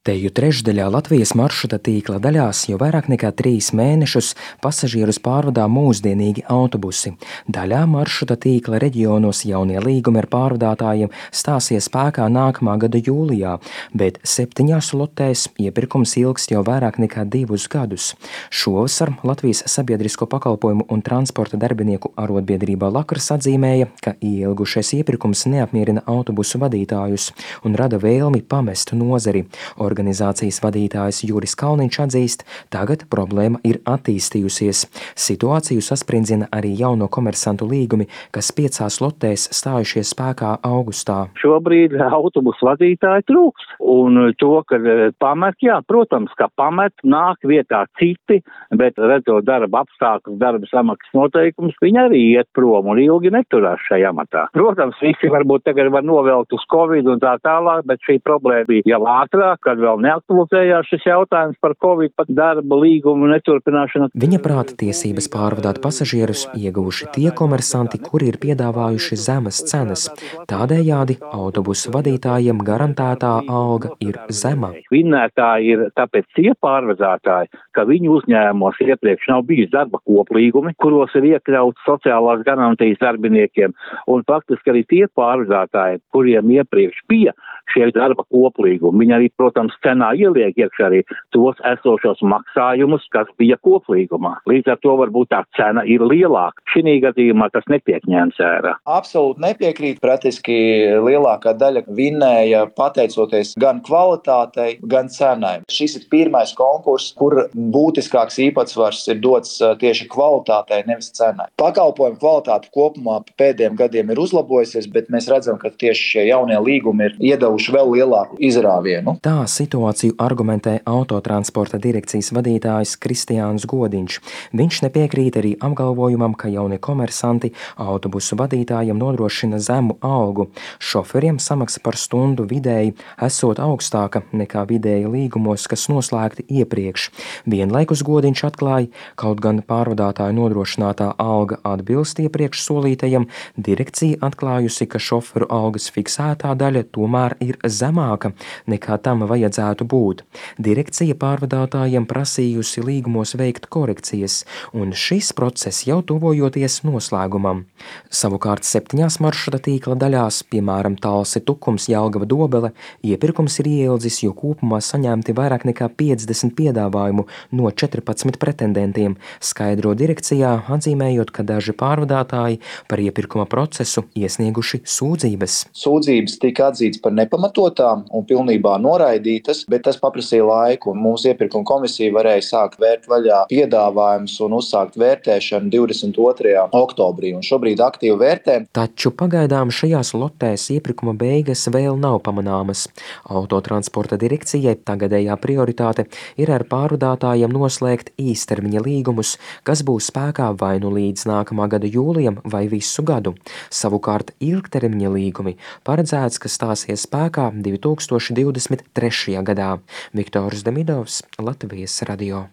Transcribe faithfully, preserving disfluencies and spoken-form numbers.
Teju trešdaļā Latvijas maršruta tīkla daļās jau vairāk nekā trīs mēnešus pasažierus pārvadā mūsdienīgi autobusi. Daļā maršruta tīkla reģionos jaunie līgumi ar pārvadātājiem stāsies spēkā nākamā gada jūlijā, bet septiņās lotēs iepirkums ilgs jau vairāk nekā divus gadus. Šovasar Latvijas sabiedrisko pakalpojumu un transporta darbinieku arotbiedrība Lakars atzīmēja, ka ielgušais iepirkums neapmierina autobusu vadītājus un rada vēlmi pamest nozari. Organizācijas vadītājs Juris Kalniņš atzīst, tagad problēma ir attīstījusies. Situāciju sasprindzina arī jauno komersantu līgumi, kas piecās lotēs stājušies spēkā augustā. Šobrīd autobusu vadītāji trūks, un to, ka pamet, jā, protams, ka pamet, nāk vietā citi, bet redzot darba apstākļus, darba samaksas noteikumus, viņi arī iet prom un ilgi neturās šajā amatā. Protams, visi varbūt tagad var novelkt uz Covid un tā tālāk, bet šī problēma bija jau ātrāk, kad vēl neaktualizējās šis jautājums par Covid, pat darba līgumu neturpināšanu. Viņa prāta tiesības pārvadāt pasažierus ieguvuši tie komersanti, kuri ir piedāvājuši zemes cenas. Tādējādi autobusu vadītājiem garantētā alga ir zema. Vinnētāji ir tāpēc tie pārvadātāji, ka viņu uzņēmumos iepriekš nav bijis darba koplīgumi, kuros ir iekļauts sociālās garantijas darbiniekiem, un faktiski arī tie pārvadātāji, kuriem iepriekš bija šie darba koplīgumi, viņi arī, protams, cenā ieliek iekšā arī tos esošos maksājumus, kas bija koplīgumā. Līdz ar to varbūt tā cena ir lielāka. Šī gadījumā tas netiek ņemts vērā. Absolūti nepiekrīt. Praktiski lielākā daļa vinnēja pateicoties gan kvalitātei, gan cenai. Šis ir pirmais konkurss, kur būtiskāks īpatsvars ir dots tieši kvalitātei, nevis cenai. Pakalpojumu kvalitāte kopumā pēdējiem gadiem ir uzlabojusies, bet mēs redzam, ka tieši šie jaunie līgumi ir iedevuši vēl lielāku izrāvienu. Tā situāciju argumentē autotransporta direkcijas vadītājs Kristiāns Godiņš. Viņš nepiekrīt arī apgalvojumam, ka jaunie komersanti autobusu vadītājiem nodrošina zemu algu. Šoferiem samaksa par stundu vidēji esot augstāka nekā vidēji līgumos, kas noslēgti iepriekš. Vienlaikus Godiņš atklāja, kaut gan pārvadātāju nodrošinātā alga atbilst iepriekš solītajam, direkcija atklājusi, ka šoferu algas fiksētā daļa tomēr ir zemāka nekā tam vajadzētu būt. Direkcija pārvadātājiem prasījusi līgumos veikt korekcijas, un šis process jau tuvojoties noslēgumam. Savukārt septiņās maršruta tīkla daļās, piemēram, Talsi Tukums, Jelgava Dobele, iepirkums ir ieildzis, jo kopumā saņemti vairāk nekā piecdesmit piedāvājumu no četrpadsmit pretendentiem, skaidro direkcijā, atzīmējot, ka daži pārvadātāji par iepirkuma procesu iesnieguši sūdzības. Sūdzības tika atzītas par nepamatotām un pilnībā noraidītas, bet tas paprasīja laiku, un mūsu iepirkuma komisija varēja sākt vērt vaļā piedāvājumus un uzsākt vērtēšanu divdesmit otrajā oktobrī, un šobrīd aktīvi vērtē. Taču pagaidām šajās lotēs iepirkuma beigas vēl nav pamanāmas. Autotransporta direkcijai tagadējā prioritāte ir ar pārvadātājiem noslēgt īstermiņa līgumus, kas būs spēkā vai nu līdz nākamā gada jūlijam vai visu gadu. Savukārt ilgtermiņa līgumi paredzēts, ka stāsies spēkā divi tūkstoši divdesmit trešajā gadā. Viktors Demidovs, Latvijas radio.